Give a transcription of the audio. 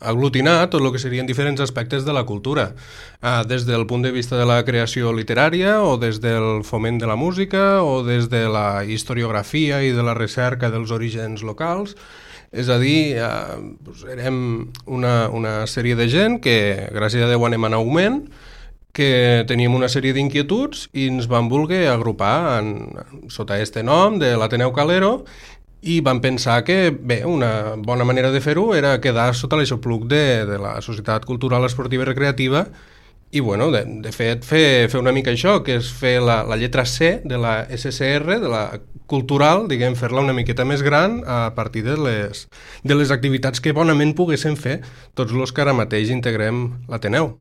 aglutinar tot el que serien diferents aspectes de la cultura, des del punt de vista de la creació literària o des del foment de la música o des de la historiografia i de la recerca dels orígens locals. És a dir, érem una sèrie de gent que, gràcies a Déu, anem en augment, que teníem una sèrie d'inquietuds i ens vam voler agrupar sota este nom de l'Ateneu Calero i vam pensar que, bé, una bona manera de fer-ho era quedar sota l'aixopluc de la Societat Cultural Esportiva i Recreativa i, bueno, de fet, fer una mica això, que és fer la lletra C de la SCR, de la cultural, diguem, fer-la una miqueta més gran a partir de les activitats que bonament poguessin fer tots els que ara mateix integrem l'Ateneu.